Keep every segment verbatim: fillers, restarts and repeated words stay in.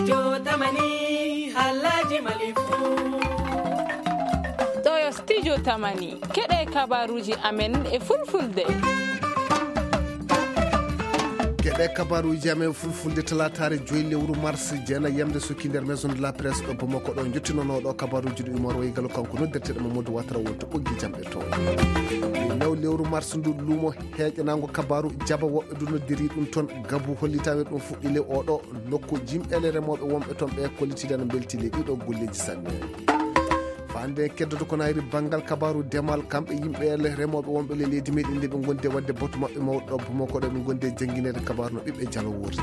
Jotamani, Alhaji Malifu. Ɗo yo Studio Tamani, keɗe kabaruuji amen e fulfulde. Keɗe kabaruuji amen fulfulde talaataare joyi lewru mars, jeena yamde sukki nder Maison de la Presse ɗo Bamako ɗo. Njottinonooɗo kabaruuji ɗo Umar Waygalu, kanko noddirteɗo Mamadou Ouattara wonto ɓoggi jamɗe to. New lewru mars ndu luumo heeƴanaango kabaru Jaba woɓɓe du noddiri ɗum toon gabu hollitawe ɗum fuɗɗi le oɗo nokku jimɓele remooɓe wonɓe toon ɓe kollitide no mbelti le ɗiɗo golleeji sanne. Fande keddoto ko nayri banngal kabaru demal kamɓe yimɓe le remooɓe wonɓe le leydi meɗen nde ɓe gondi e waɗde batu maɓɓe mawɗo ɗo Bamako ɗo ɓe gondi e janngineede kabaru no ɓiɓɓe jalo worri.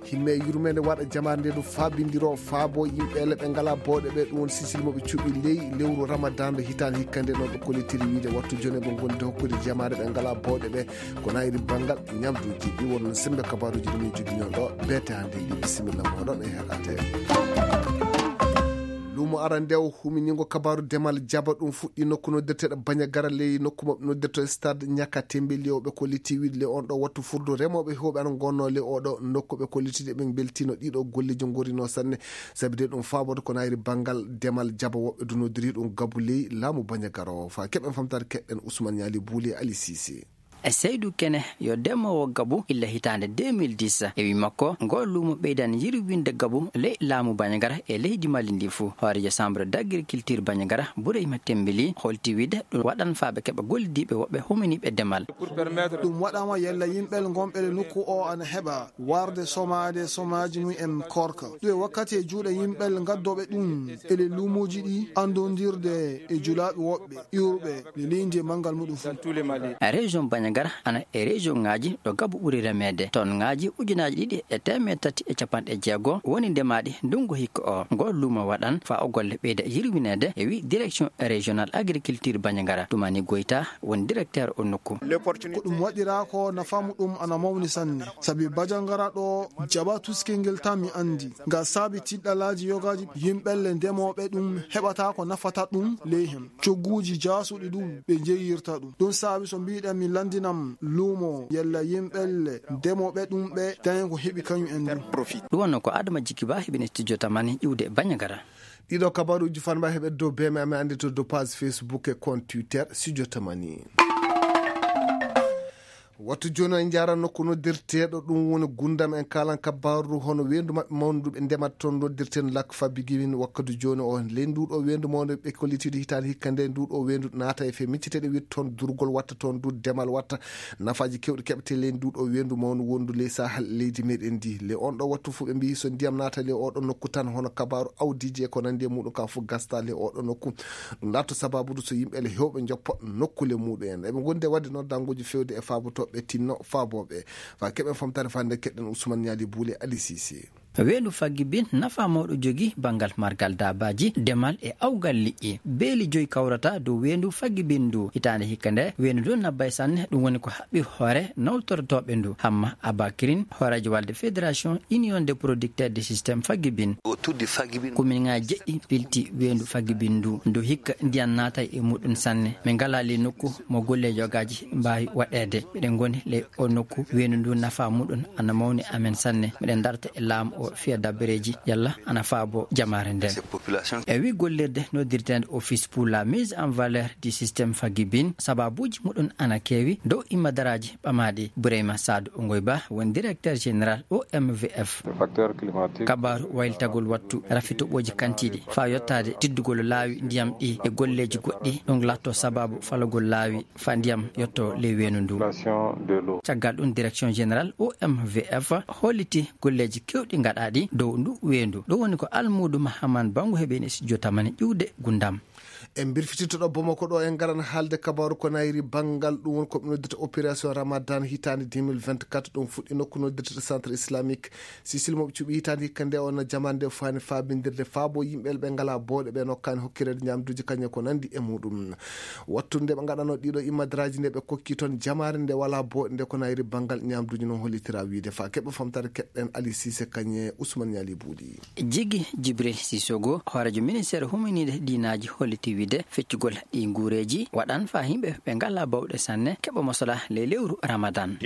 Himme yurmeende waɗa jamaare nde ɗum faabindiro faabo yimɓe le ɓe ngala booɗe ɓe ɗum woni sisil mo ɓe cuɓi ley lewru Ramadan nde hitaande hikka nde noon ɓe kollitiri wiide wattu jone ɓe gondi hokkude jamaare ɓe ngala booɗe ɓe ko nayri banngal ñamduuji ɗi wonno sembe kabaruuji ɗi min jogino ɗo beete hannde ɗi bisimilla moɗon e heɗade. Lumo arandewo huminingo kabaru demal jaba ɗum fuɗɗi nokku noddirteɗo Bañagara ley nokku maɓɓe noddirto stade Ñaka Tembeli o ɓe kolliti wiide le on ɗo wattu furdu remooɓe heewɓe ana gonno le oɗo nokku ɓe kollitide ɓe beltino ɗiɗo golleji gorino sanne. Sabi de ɗum faabode ko nayri banngal demal jaba woɓɓe du noddiri ɗum gabu ley laamu Bañagara o. Fa keɓen famtare keɗɗen Ousmane Ñaali Buuli e Ali Sise. E Seydou Kene yo demoowo gabu illa hitaande deux mille dix. E wi makko, ngo luumo ɓeydan yirwinde gabu ley laamu Bañagara e leydi Mali ndi fuu. Hooreejo Chambre d'agriculture Bañagara, Boureyma Tembeli, holti wiide ɗum waɗan faa ɓe keɓa gollidiiɓe woɓɓe huminiiɓe demal. Ɗum waɗaama yalla yimɓe ngonɓe le nokku o ana heɓa warde somaade somaaji mum en korka. Ɗum e wakkati e juuɗe yimɓe ngaddooɓe ɗum e le luumuuji ɗi anndondirde e julaaɓe woɓɓe iwruɓe le leydi e manngal muɗum fof. Région Bandiagara ana e région ŋaaji ɗo gabu ɓuri remeede. Toon ŋaaji ujunaaji ɗiɗi e teemeɗɗe tati e capanɗe jeego woni ndemaaɗi ndunngu hikka o. Ngol luumo waɗan faa o golle ɓeyda yirwineede, e wi direction régionale agriculture Bandiagara. Toumani Goyta woni directeur o nokku. Ko ɗum waɗiraa ko nafa muɗum ana mawni sanne. Sabi Bandiagara ɗo jaba tuskingel tan mi anndi. Nga saabi tiɗɗalaaji yogaaji yimɓelle ndemooɓe ɗum heɓata ko nafata ɗum ley hen. Cogguuji jaasuɗi ɗum ɓe njeyirta ɗum. Ɗum saabi so mbiɗen mi lanndinam luumo yalla yimɓelle ndemooɓe ɗum ɓe dañen ko heɓi kañum en ɗum. Ɗum wonno ko Adama Jikki Ba heɓini studio Tamani iwde e Bandiagara. Ɗiɗo kabaruuji fanba heɓe dow beme amen anndi to dow page Facebook e compte Twitter studio Tamani. Wattu jooni en njaara nokku noddirteeɗo ɗum woni Gundam en kaalan kabaru hono weendu maɓɓe mawndu ɓe ndemata toon noddirteeɗo Lak Fabigiwin wakkati jooni o ley nduɗo weendu mawndu ɓe kollitidi hitaande hikka nde nduɗo weendu naata e fe micceteeɗe witta toon durgol watta toon du demal watta nafaaji kewɗi keɓete ley nduɗo weendu mawndu wondu ley Sahel leydi meɗen ndi. Le on ɗo wattu fof ɓe mbiyi so ndiyam naata le oɗo nokku tan hono kabaru awdiiji e ko nandi e muɗum ka fof gasta le oɗo nokku. Ɗum laatto sababude so yimɓe le hewɓe njoppa nokkule muɗum en. Eɓe gondi e waɗde noon danguji fewde e faabotoɓe tinno faaboɓe. Fa keɓen famtare fande keɗɗen Ousmane Ñaali Buule Ali Sise. Weendu Faggi Bin nafa mawɗo jogi banngal margal daabaaji, demal e awgal liƴƴi. Beeli joyi kawrata dow weendu Faggi Bin ndu. Hitaande hikka nde, weendu ndu nabbay sanne, ɗum woni ko haɓɓi hoore nawtortooɓe ndu. Hamma Abakirin, hooreejo walde Fédération Union des Producteurs du Système Faggi Bin. Komin ŋaa jeɗɗi pilti weendu Faggi Bin ndu. Ndu hikka ndiyan naatay e muɗum sanne. Min ngalaa ley nokku mo golle yogaaji mbaawi waɗeede. Miɗen ngoni ley o nokku, weendu ndu nafa muɗum ana mawni amen sanne. Miɗen darta e laamu o fiya dabbareeji yalla ana faabo jamaare nden. E wi gollirde noddirteende Office pour la mise en valeur du système Faggi Bin, sababuuji muɗum ana keewi dow immadaraaji ɓamaaɗi. Boureyma Saadu Ngoy Ba woni directeur général O M V F. Kabaaru waylitagol wattu rafi toɓooji kantiiɗi faa yottaade tiddugol laawi ndiyam ɗi e golleeji goɗɗi, ɗum laatto sababu falagol laawi faa ndiyam yotto ley weendu ndu. Caggal ɗum, direction générale O M V F holliti golleeji kewɗi gaɗaaɗi dow ndu weendu. Ɗum woni ko almuudo Mahaman Bango heɓi e studio Tamani iwde Gundam. En mbirfititto ɗo Bamako ɗo, en ngaran haalde kabaaru ko nayri banngal ɗum woni ko ɓe noddata opération Ramadan hitaande deux mille vingt-quatre. Ɗum fuɗɗi nokku noddirta Centre Islamique Sicile mo ɓe cuɓi hitaande hikka nde on jamaande faani faabindirde faabo yimɓe ɓe ngalaa booɗe ɓe nokkaani hokkireede ñaamduuji kañum e ko nanndi e muɗum. Wattu nde ɓe ngaɗano ɗiɗo immadaraaji nde ɓe kokki toon jamaare nde walaa booɗe nde ko nayri banngal ñaamduuji noon hollitira wiide fa keɓe famtare keɗɗen Ali Sise kañe Ousmane Ñaali Buuɗi. Jigi Jibril Sisogo, hooreejo ministeer huminiiɗe diinaaji holliti De feccugol ɗi nguureeji waɗan faa yimɓe ɓe ngalaa bawɗe sanne keɓa mosola ley lewru Ramadan.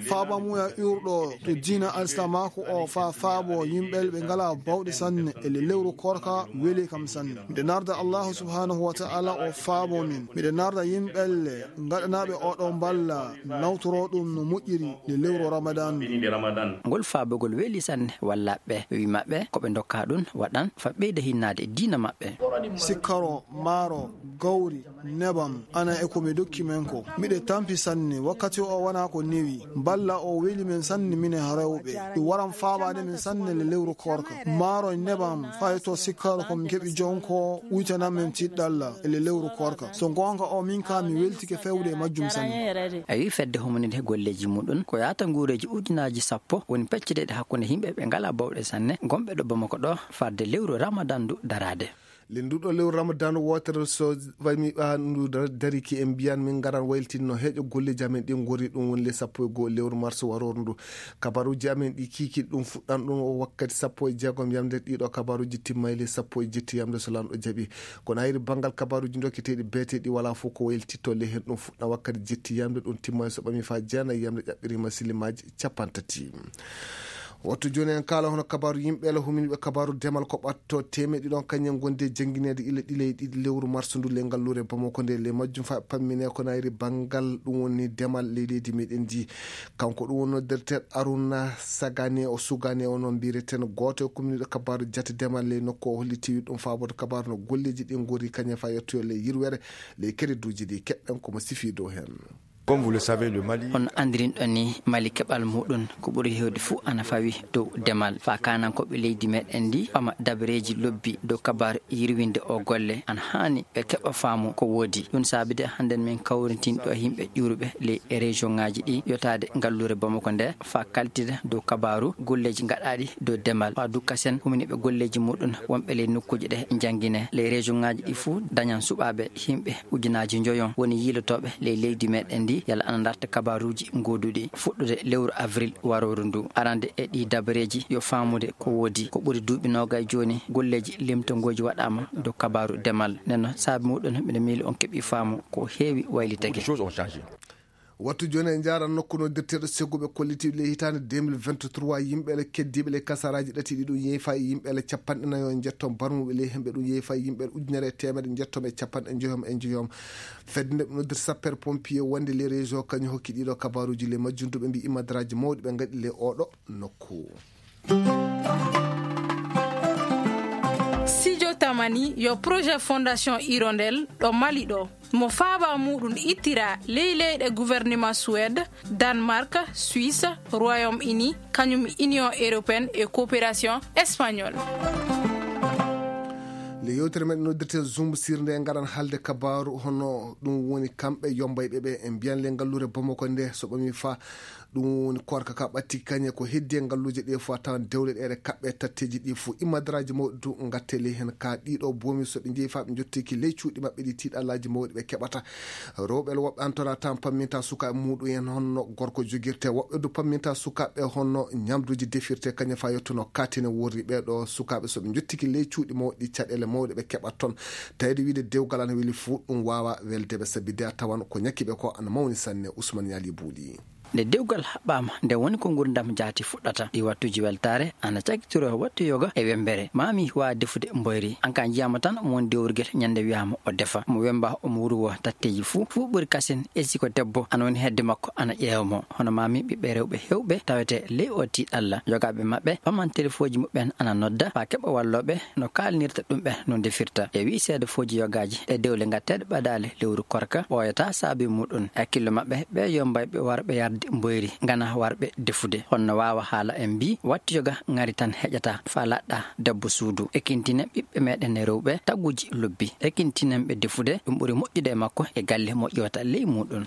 Faabamuya iwruɗo to diina Alislaamaaku o faa faabo yimɓe ɓe ngalaa bawɗe sanne e le lewru koorka weli kam sanne. Miɗo narda Allaahu subhaanahu wa ta'ala o faabo min. Miɗo narda yimɓe le ngaɗanaaɓe oɗo mballa nawtoro ɗum no moƴƴiri le lewru Ramadan. Ngol faabugol weli sanne wallaaɓe ɓe wi maɓɓe ko ɓe ndokkaa ɗum waɗan faa ɓeyda hinnaade e diina maɓɓe. Sikkaro, maaro, gawri, nebam, ana e ko mi dokki men ko. Miɗe tampi sanne, wakkati o wonaa ko newi. Mballa o weli men sanne minen rewɓe. Ɗum waran faabaade men sanne le lewru koorka. Maaro, nebam, faa yetto sikkaro ko mi keɓi jonko, uytanan men tiɗɗalla e le lewru koorka. So ngoonga o min ka mi weltike fewde e majjum sanne. A wi fedde humaninde golleeji muɗum ko yaata nguureeji ujunaaji sappo woni pecceteeɗi hakkunde yimɓe ɓe ngalaa bawɗe sanne, gonɓe ɗo Bamako ɗo, fadde lewru Ramadan ndu daraade. Le nduɗo lewru Ramadan wootere so waymi ɓa ndu dar-, dariki en mbiyan min ngaran waylitinno heeƴo golleeji amen ɗi ngori ɗum woni le sappo e goo lewru mars warooru ndu. Kabaruuji amen ɗi kiiki ɗum fuɗɗan ɗum o wakkati sappo e jeegom yamde ɗiɗo kabaruuji timmay le sappo e jetti yamde so lanɗo jaɓi. Kono hayri banngal kabaruuji dokketeeɗi beeteeɗi walaa fof ko waylititto le heen ɗum fuɗɗan wakkati jetti yamde ɗum timmay so ɓami faa jeenay yamde ƴaɓɓirima silimaaji capantati. Wattu jooni en kaala hono kabaaru yimɓe la huminiiɓe kabaaru demal ko ɓatto teemeɗɗi ɗon kañum en ngondi e janngineede ila ɗiɗi e ɗiɗi lewru mars ndu le ngalluure Bamako nde le majjum faa pammine ko nayri banngal ɗum woni demal ley leydi meɗen ndi. Kanko ɗum woni noddirteeɗo Aruna Sagane o Sugane o noon mbiyeten gooto e kuminiiɗo kabaaru jate demal ley nokku o holliti ɗum faaboto kabaaru no golleeji ɗi ngori kañum faa yettoyo ley yirwere ley kereduuji ɗi keɗɗen ko mo sifi dow heen. Comme vous le savez, le Mali. Hono anndirinɗon ni, Mali keɓal muɗum ko ɓuri heewde fuu ana fawi dow demal. Faa kaanankooɓe leydi meɗen ndi, ɓama dabareeji lobbi dow kabaaru yirwinde o golle, ana haani ɓe keɓa faamu ko woodi. Ɗum saabide hannden min kawrintin ɗo yimɓe ƴuuruɓe ley e région ŋaaji ɗi, yotaade ngalluure Bamako nde, faa kaltida dow kabaaru golleeji gaɗaaɗi dow demal. Faa dukka sen huminiiɓe golleeji muɗum wonɓe ley nokkuuji ɗe janngine. Ley région ŋaaji ɗi fuu dañan suɓaaɓe yimɓe ujunaaji njoyon woni yiilotooɓe ley leydi meɗen ndi, yalla ana ndarta kabaaruuji gooduɗi. Fuɗɗude lewru avril warooru ndu, arande e ɗi dabareeji yo faamude ko woodi. Ko ɓuri duuɓi noogay jooni, golleeji limtongooji waɗaama dow kabaaru demal. Nden noon, saabi muɗum, miɗo miili on keɓi faamu ko heewi waylitake. Beaucoup de choses ont changé. Wattu jooni en njaaran nokku noddirteeɗo segguɓe kollitiiɓe ley hitaande deux mille vingt-trois, yimɓe le keddiiɓe ley kasaraaji ɗati ɗi ɗum yeefa e yimɓe le capanɗe nayo e njetto barmuɓe ley hemɓe ɗum yeefa e yimɓe le ujunere e teemedde njetto e capanɗe njoyom e njoyom. Fedde nde ɓe noddirta sapeur pompier wonde ley région kañum hokki ɗiɗo kabaaruuji ley majjum duɓe mbi imadraaji mawɗi ɓe ngaɗi ley oɗo nokku. Sijo Tamani yo projet Fondation Hirondelle ɗo Mali ɗo. Mo faaba muɗum ittira ley leyɗe gouvernement Suède, Danemark, Suisse, Royaume-Uni, kañum Union Européenne e Coopération Espagnole. Le yewtere men noddirte Zoom sirnde ngaran halde kabaaru hono ɗum woni kamɓe yombayɓe ɓe en mbiyan le ngalluure Bamako nde so ɓami fa ɗum woni korka ka ɓatti kañe ko heddi e ngalluuje ɗe fof a tawan dewle ɗe ɗe kaɓɓe tatteeji ɗi fof imadraaji mawɗi du ngatte ley heen ka ɗiɗo boomi so ɓe njeeyi fa ɓe njottiki ley cuuɗi maɓɓe ɗi tiiɗallaaji mawɗi ɓe keɓata. Rewɓe woɓɓe an tona tan pamminta sukaaɓe muɗum en honno gorko jogirte, woɓɓe du pamminta sukaaɓe honno ñamduuji defirte kañum fa yettuno katine worri ɓe ɗo sukaaɓe so ɓe njottiki ley cuuɗi mawɗi caɗeele mawɗe ɓe keɓat toon. Tawde wiide dewgal ana weli fof ɗum waawa welde ɓe sabi de a tawan ko ñakki ɓe ko ana mawni sanne. Ousmane Ñaali Buuɗi. Nde dewgal haɓɓaama, nde woni ko nguurndam jaati fuɗɗata. Ɗi wattuuji weltaare ana cakkitoroo wattu yoga e wemmbere. Maa mi waawa defude mboyri. An ka njiyaama tan mo woni dewrugel ñande wiyaama o defa. Mo wemmba omo wuurwoo tatteeji fuu. Fuu ɓuri kasen e si ko debbo ana woni hedde makko ana ƴeewa mo. Hono maa mi ɓiɓɓe rewɓe heewɓe tawetee ley oo tiiɗalla. Yogaaɓe maɓɓe paman telefooji muɓɓen ana nodda faa keɓa wallooɓe no kaalinirta ɗum ɓe no ndefirta. E wii seedafooji yogaaji ɗe dewle ngatteeɗe ɓadaale lewru korka ɓooyataa saabi muɗum. E hakkillo maɓɓe, ɓee yombayɓe warɓe yarde mboyri, ngana warɓe defude. Honno waawa haala en mbii, wattu yoga ŋari tan heƴataa faa laɗɗa debbo suudu. Ekintinen ɓiɓɓe meɗen e rewɓe taguuji lobbi. Ekintinen ɓe defude, ɗum ɓuri moƴƴude e makko e galle mo ƴeewata ley muɗum.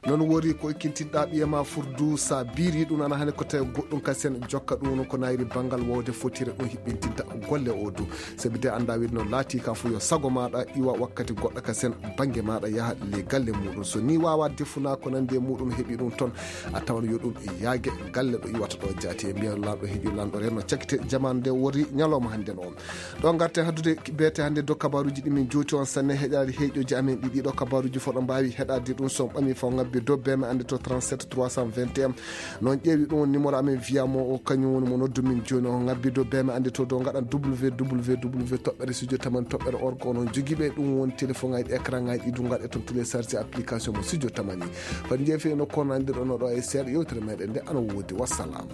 Noon wori ko ekkintinɗa ɓiye ma furdu, sa biri ɗum ana hani ko tawi goɗɗum kasen jokka ɗum ko nayri banngal wowde fotire ɗum hiɓɓintinta golle o du. Sabi de annda wide no laati ka fof yo sago maɗa iwa wakkati goɗɗo kasen bannge maɗa yaha le galle muɗum. So ni wawa defuna ko nandi e muɗum heɓi ɗum toon, a tawan yo ɗum yaage galle ɗo iwata ɗo jaati e mbiyan lanɗo heeƴo lanɗo renno cakkite jamanu nde wori ñalawma hannde no. Ɗo ngarten haddude beete hannde dow kabaruuji ɗi min jowti on sanne heɗaade heeƴooji amen ɗi ɗiɗo kabaruuji fof ɗo mbaawi heɗaade ɗum so on ɓami fof ngabbi dow beeme annde to trente-sept trois cent vingt et un. Noon ƴeewi ɗum woni numéro amen wiyamo o kañum woni mo noddu min jooni o ngabbi dow beeme annde to dow ngaɗan www toɓɓere studio tamani toɓɓere org onon jogiiɓe ɗum woni téléphone ngaji écran ngaji ɗi du ngaɗe toon télécharge application mo studio tamani. Fadi jeefi no kono anndirɗon oɗo e seeɗa yewtere meɗen nde ana woodi wassalam.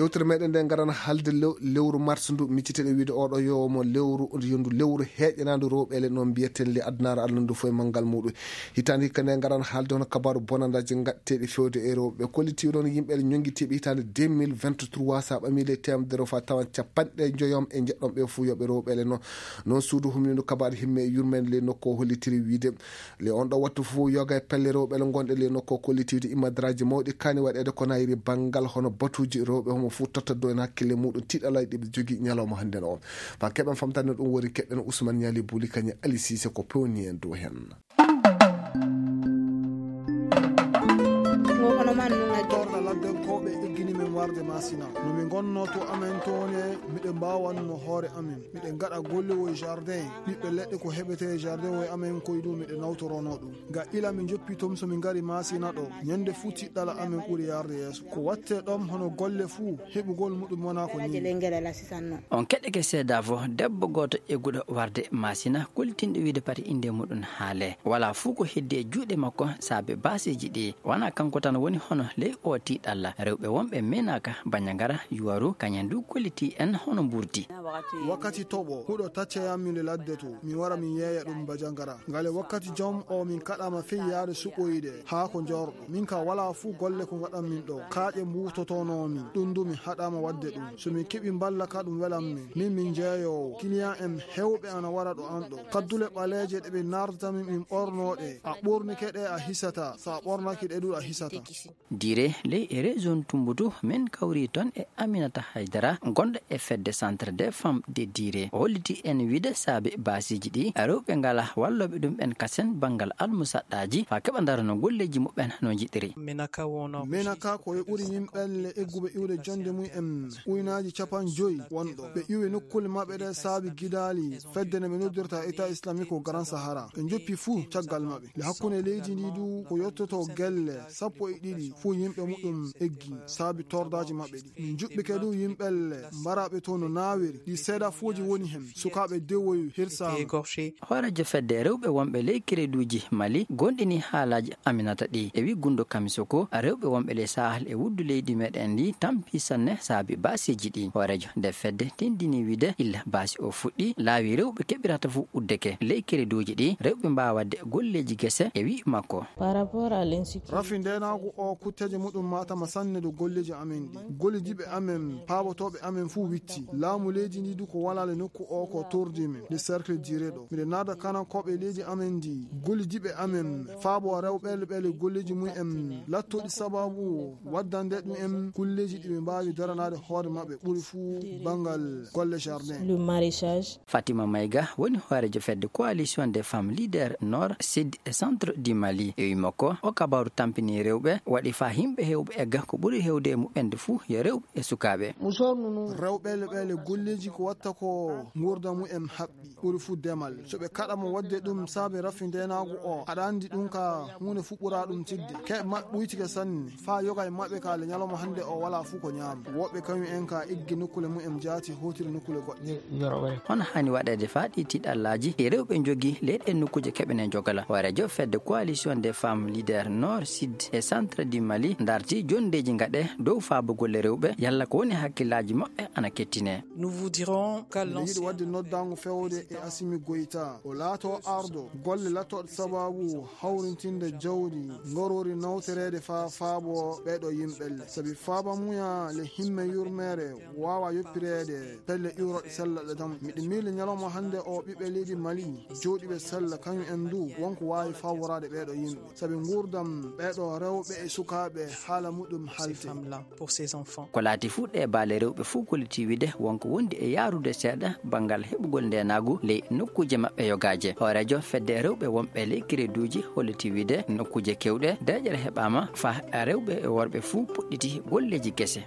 Yewtere meɗen nde ngaran haalde lew- lewru mars ndu micciteɗen wiide oɗo yo mo lewru yondu lewru heƴanandu rewɓele noon mbiyaten le addunaare allah ndu foye manngal muɗum. Hitaande hikka nde ngaran haalde hono kabaru bonandaji gaɗteɗi fewde e rewɓe kollitiiɗo on yimɓe ñonngitiiɓe hitaande deux mille vingt-trois sa ɓami le temedere fa tawan capanɗe joyom e jeɗɗon ɓe fuu yoɓe rewɓele noon. Noon suudu humnindu kabaru himme e yurmende le nokku o hollitiri wiide le on ɗo wattu fof yoga e pelle rewɓe le gonɗe le nokku o kollitiiɗo immadraji mawɗi kani waɗeede ko nayri banngal hono batuuji rewɓe homo fof tottaddo en hakkille muɗum tiɗalay ɗiɓe jogii ñalawma hannde no on. Fa keɓen famtande ɗum wori keɓen Ousmane Ñaali Buli kañe Ali Sise ko pewni en dow hen. Torɗa laddenkooɓe eggini men warde Masina. No min ngonno to amen toone, miɗen mbaawanno hoore amen. Miɗen ngaɗa golle woy jardin. Ɓiɓɓe leɗɗe ko heɓete e jardin woy amen koye ɗum miɗen nawtorono ɗum. Ga ila min joppi tom so min ngari Masina ɗo. Ñande fuu tiɗɗala amen ɓuri yarde yeeso. Ko watte ɗom hono golle fuu, heɓugol muɗum wona ko ni. On keɗɗeke seedaa fof debbo gooto egguɗo warde Masina, kultinɗo wiide pati innde muɗum haale. Wala fuu ko heddi e juuɗe makko saabe baaseeji ɗi. Wona kanko tan woni hono ley oo tiiɗalla. Rewɓe wonɓe meenaaka Bañangara, Yuwaru, kañen du kollitii en hono mburdi. Wakkati toɓo, huɗo tacca yammi nde ladde to, mi wara mi yeeya ɗum Bañangara. Ngale wakkati jom o min kaɗama fey yaade suɓoyde haa ko jorɗo. Min ka wala fuu golle ko ngaɗan min ɗo. Kaaƴe mbuutotono min, ɗum du mi haɗama wadde ɗum. So min keɓi mballa ka ɗum welan min. Min min jeeyoowo, client en hewɓe ana wara ɗo an ɗo. Kaddule ɓaleeje ɗe ɓe nardata min min ɓorno ɗe. A ɓornike ɗe a hisata, so a ɓornaki ɗe du a hisata. Dire ley e région Tumbutu min kawri toon e Aminata Haydara gonɗo e fedde centre des femmes de Dire. O holliti en wiide saabe baasiji ɗi rewɓe ngala wallooɓe ɗum ɓen kasen banngal almusaɗɗaaji fa keɓa ndarano golleeji muɓɓen no njiɗiri. Menaka ko e ɓuri yimɓelle egguɓe iwde jonde mum en uynaaji capan joyi wonɗo. Ɓe iwi nokkule maɓɓe ɗe saabi gidaali fedde nde ɓe noddirta État islamique au Grand Sahara. Ɓe njoppi fuu caggal maɓɓe. Nde hakkunde leydi ndi du ko yottoto gelle sappo e ɗiɗi fuu yimɓe muɗum eggi saabi tordaaji maɓɓe ɗi. Min njuɓɓike du yimɓelle mbaraaɓe to no naawiri. Ɗi seedafuuji woni hen. Sukaaɓe dewoyu hirsaama. Hooreejo fedde rewɓe wonɓe ley kereduuji Mali gonɗini haalaaji Aminata ɗi. E wi Gundo Kamisoko, rewɓe wonɓe ley Sahel e wuddu leydi meɗen ndi tampi sanne saabi baaseeji ɗi. Hooreejo nde fedde tindini wiide illa baasi o fuɗɗi, laawi rewɓe keɓirata fof uddeke. Ley kereduuji ɗi, rewɓe mbaawa waɗde golleeji gese e wi makko. Rafi ndeenaagu o kutteeje muɗum matama sanne dow golleeji amen ɗi. Gollidiiɓe amen, paabotooɓe amen fuu witti. Laamu leydi ndi du ko walaale nokku o ko tordi min. Nde cercle dire ɗo. Miɗe naada kanankooɓe leydi amen ndi. Gollidiiɓe amen, faabo rewɓe ɓele golleeji mum en. Lattoɗi sababu waddande ɗum en kulleeji ɗi ɓe mbaawi daranaade hoore maɓɓe ɓuri fuu banngal golle jardin. Fatima Mayga woni hooreejo fedde Coalition des femmes leaders Nord, Sud et Centre du Mali. E wi makko, o kabaru tampini rewɓe, waɗi fa yimɓe hewɓe egga ko ɓuri hewde e muɓɓen de fuu yo rewɓe e sukaaɓe. Rewɓe le golleeji ko watta ko nguurda mumen haɓɓi ɓuri fuu demal. So ɓe kaɗama waɗde ɗum saabe rafi ndeenaagu o, aɗa anndi ɗum ka huunde fuu ɓura ɗum tidde. Keɓ maɓɓe ɓuytike sanne. Faa yoga e maɓɓe ka le ñalawma hannde o walaa fuu ko ñaama. Woɓɓe kañum en ka eggi nokkule mumen jaati hootiri nokkule goɗɗe. Hono haani waɗeede faa ɗii tiiɗallaaji ɗi rewɓe njogii ley ɗeen nokkuuje keɓene njogala? Hooreejo fedde Coalition des femmes leaders Nord, Sud et Centre du Mali darti jonndeeji ngaɗe dow Faabo golle rewɓe, yalla ko woni hakkillaaji maɓɓe ana kettine. Miɗo yiɗi waɗde noddaango fewde e Asimi Goyta. O laato ardo golle lattooɗe sababu hawrintinde jawdi ngorori nawtoreede faa faabo ɓeeɗo yimɓelle. Sabi faaba muya le himme yurmeere waawa yoppireede pelle iwroɗe sellaɗe dam. Miɗo miili ñalawma hannde o ɓiɓɓe leydi Mali jooɗiiɓe sella kañum en du wonko waawi faaboraade ɓeeɗo yimɓe. Sabi nguurdam ɓeeɗo rewɓe e sukaaɓe haala muɗum halte. Ko laati fuu ɗee baale rewɓe fuu kollitii wiide wonko wondi e yaarude seeɗa banngal heɓugol ndeenaagu ley nokkuuje maɓɓe yogaaje. Hooreejo fedde rewɓe wonɓe ley kireduuji hollitii wiide nokkuuje keewɗe deeƴere heɓaama faa rewɓe e worɓe fuu puɗɗiti golleeji kese.